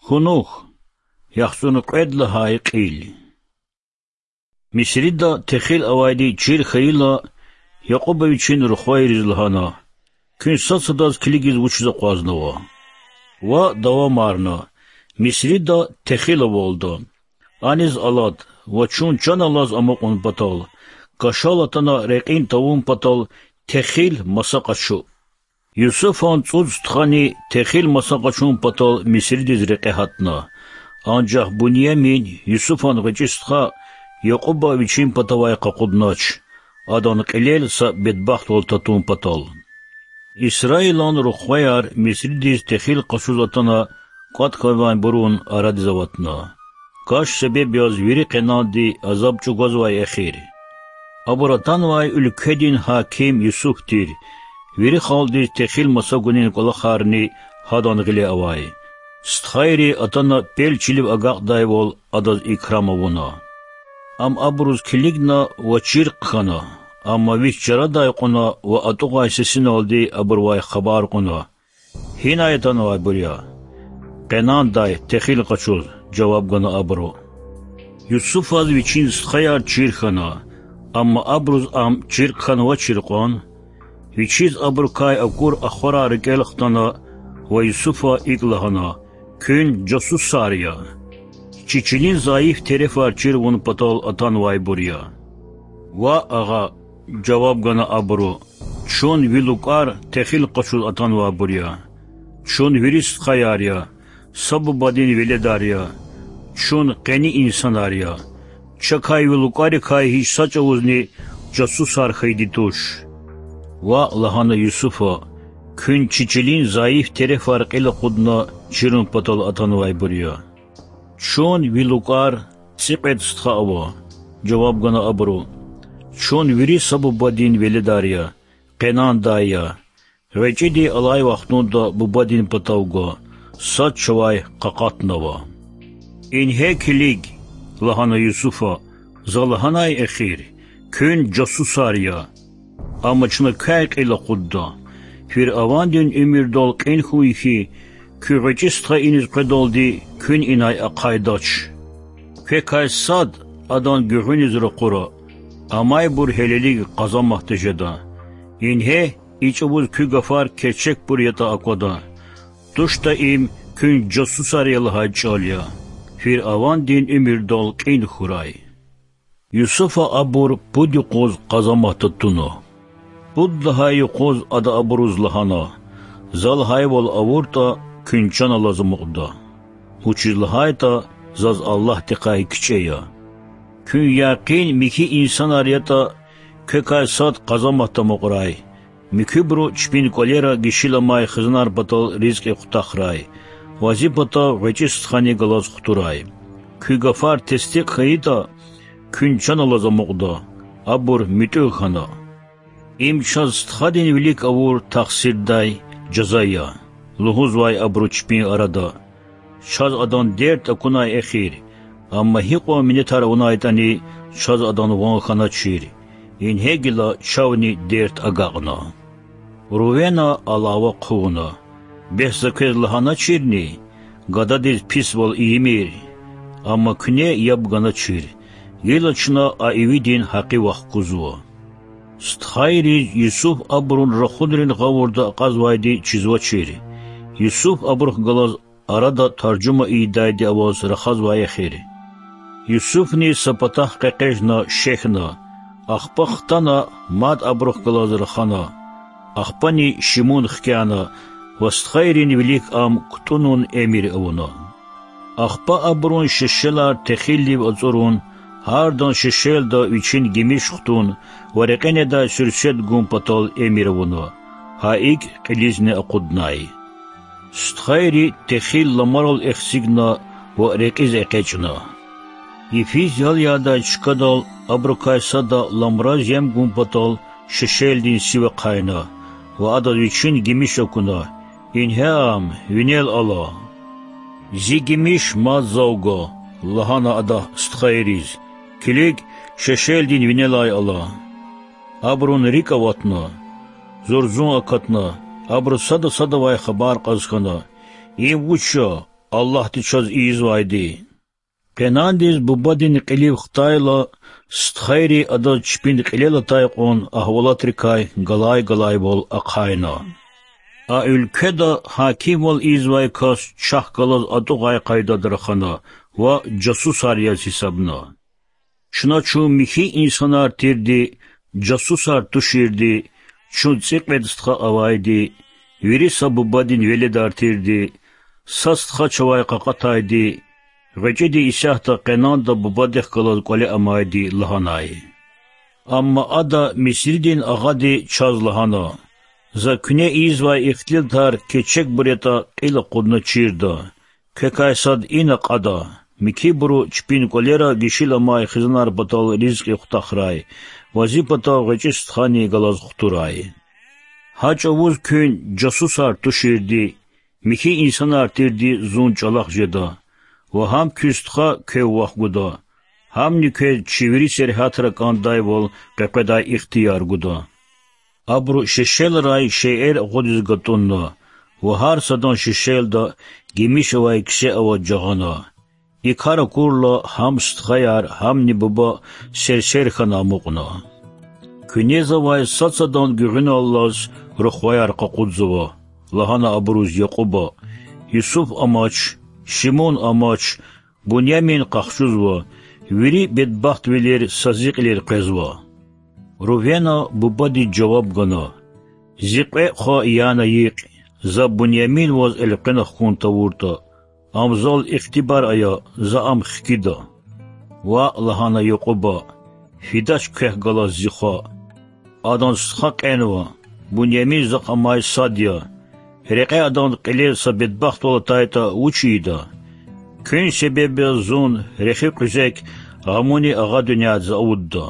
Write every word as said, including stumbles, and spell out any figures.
Хьунухь, яхцӀурни кьвед лагьай кьил. Мисрида техил авайди чир хьайила, Якьуба вичин рухвайриз лагьана: Куьн сад-садаз килигиз вучиз акъвазнава? Ва давамарна: Мисрида техил авалда. Аниз алад ва чун чан алаз амукьун патал, кашал атана рекьин тавун патал техил маса къачу. Юсуфан цӀуд стхани техил маса къачун патал Мисридиз рекье гьатна. Анжах Буньямин, Юсуфан гъвечӀи стха, Якьуба вичин патавай къакъуднач, адан кьилел са бедбахтвал татун патал. Исраилан рухваяр Мисридиз техил къачуз атана кӀватӀ хьанвайбурун арадиз аватна. Каш себеб яз вири къенанди азаб чӀугвазвай эхир. Абур атанвай уьлкведин гьаким Юсуф тир, вири халкьдиз техил маса гунин кӀвалахарни гьадан гъиле авай. Стхайри атана пел чилив агакьдайвал адаз икрам авуна. Ам абуруз килигна ва чиркъ хьана, амма вич чарадай кьуна ва атӀугъай сесиналди абурувай хабар кьуна: Гьинай атанвайбур я? Къенандай техил къачуз,— жаваб гана абуру. Юсуфаз вичин стхаяр чир хьана, амма абуруз ам чиркъ хьанвачир кьван. Вичиз абурукай акур ахварар рикӀел хтана ва Юсуфа икӀ лагьана: Куьн жасусар я. Чи чилин зайиф терефар чир авун патал атанвайбур я. Ваъ, агъа,— жаваб гана абуру,— чун ви лукӀар техил къачуз атанвайбур я. Чун вири стхаяр я, са бубадин веледар я. Чун къени инсанар я. Чакай ви лукӀарикай гьич са чӀавузни жасусар хьайиди туш. Ваъ,— лагьана Юсуфа,— куьн чи чилин зайиф терефар кьил акъудна чирун патал атанвайбур я. Чун, ви лукӀар, цӀикьвед стха ава,— жаваб гана абуру,— чун вири са бубадин веледар я, къенандай я. ГъвечӀиди алай вахтунда бубадин патав гва, сад чавай къакъатнава. Ингье килиг,— лагьана Юсуфа,— за лагьанай эхир: куьн жасусар я. Амма чна квяй кьил акъудда. Фиръавандин уьмуьрдал кьин хьуй хьи, куь гъвечӀи стха иниз къведалди куьн инай ахъайдач. Квекай сад адан гуьгъуьниз ракъура, амайбур гьелелиг къазамат тежеда. Ингье, и чӀавуз куь гафар керчекбур ятӀа аквада. ТуштӀа им куьн жасусар я лагьай чӀал я. Фиръавандин уьмуьрдал кьин хьурай. Юсуфа абур пуд юкъуз къазаматда туна. Пуд лагьай юкъуз ада абуруз лагьана: За лагьайвал авуртӀа, куьн чан алаз амукьда. Вучиз лагьайтӀа заз Аллагьдихъай кичӀе я. Куьн якъин михьи инсанар ятӀа, квекай сад къазаматда амукьрай. Муькуьбуру чпин кӀвалера гишила амай хизанар патал ризкьи хутахрай ва зи патав гъвечӀи стхани галаз хтурай. Куь гафар тестикь хьайитӀа, куьн чан алаз амукьда. Абур муьтӀуьгъ хьана. Им чаз стхадин вилик авур тахсирдай жаза я,— лугьузвай абуру чпин арада. Чаз адан дерт акунай эхир, амма гьикьван минетар авунайтӀани, чаз адан ван хьаначир. Ингье гила чавни дерт агакьна. Рувена алава хъувуна: Бес за квез лагьаначирни, гададиз писвал ийимир? Амма куьне яб ганачир, гила чна а ивидин гьакъи вахкузва. Стхайриз Юсуф абурун рахунрин гъавурда акьазвайди чизвачир. Юсуф абурухъ галаз арада таржума ийидайди аваз рахазвай эхир. Юсуфни са патахъ къекъежна шехьна, ахпа хтана мад абурухъ галаз рахана, ахпани шимун хкяна ва стхайрин вилик ам кутӀунун эмир авуна. Ахпа абурун шешелар техилдив ацӀурун, гьардан шешелда вичин гимиш хтун ва рекье недай суьрсет гун патал эмир авуна. Гьа икӀ кьилизни акъуднай. Стхайри техил ламарал эхцигна ва рекьиз экъечӀна. Йифиз ял ядай чкадал абурукай сада ламраз ем гун патал шешелдин сив ахъайна ва адаз вичин гимиш акуна: Ингье ам, винел ала. Зи гимиш мад зав гва,— лагьана ада стхайриз. Килиг, шешелдин винелай ала. Абурун рикӀ аватна. Зурзун акатна, абуру сада садавай хабар кьаз хьана: Им вуч я? Аллагьди чаз ийизвайди. Къенандиз бубадин кьилив хтайла, стхайри адаз чпин кьилел атай кьван агьвалатрикай галай-галайвал ахъайна. А уьлкведа гьакимвал ийизвай кас чахъ галаз атӀугъай къайдада рахана ва жасусар яз гьисабна. Чна чун михьи инсанар тирди, жасусар туширди, чун цӀикьвед стха авайди, вири са бубадин веледар тирди, са стха чавай къакъатайди, гъвечӀиди исятда къенанда бубадихъ галаз кӀвале амайди,— лагьанай. Амма ада Мисридин агъади чаз лагьана: За куьне ийизвай ихтилатар кечекбур ятӀа кьил акъудна чирда. Квекай сад ина кьада, михьибуру чпин кӀвалера гишила амай хизанар патал ризкьи хутахрай ва зи патав гъвечӀи стхани галаз хтурай. Гьа чӀавуз куьн жасусар туширди, михьи инсанар тирди зун чӀалахъ жеда, ва гьам куь стха квев вахгуда, гьамни квез чи вири сергьятра кӀандайвал къекъведай ихтияр гуда. Абуру шешелрай шейэр агъудиз гатӀунна ва гьар садан шешелда гимиш авай кисе аваз жагъана. И кар акурла, гьам стхаяр, гьамни буба серсер хьана амукьна. Куьне завай сад-садан гуьгъуьналлаз рухваяр къакъудзава,— лагьана абуруз Якьуба. Юсуф амач, Шимун амач, Бунямин къахчузва, вири бедбахтвилер са зи кьилел къвезва. Рувена бубадиз жаваб гана: Зи кьве хва яна йикь, за Бунямин ваз элкъвена хьун тавуртӀа, ам зал ихтибар ая, за ам хкида. Ваъ,— лагьана Якьуба,— фидач квехъ галаз зи хва. Адан стха кьенва, Бунямин захъ амай сад я. Рекье адан кьилел са бедбахтвал атайтӀа, вуч ийида? Куьн себеб яз зун, рехи къуьзек, гъамуни агъа дуьньядиз авудда.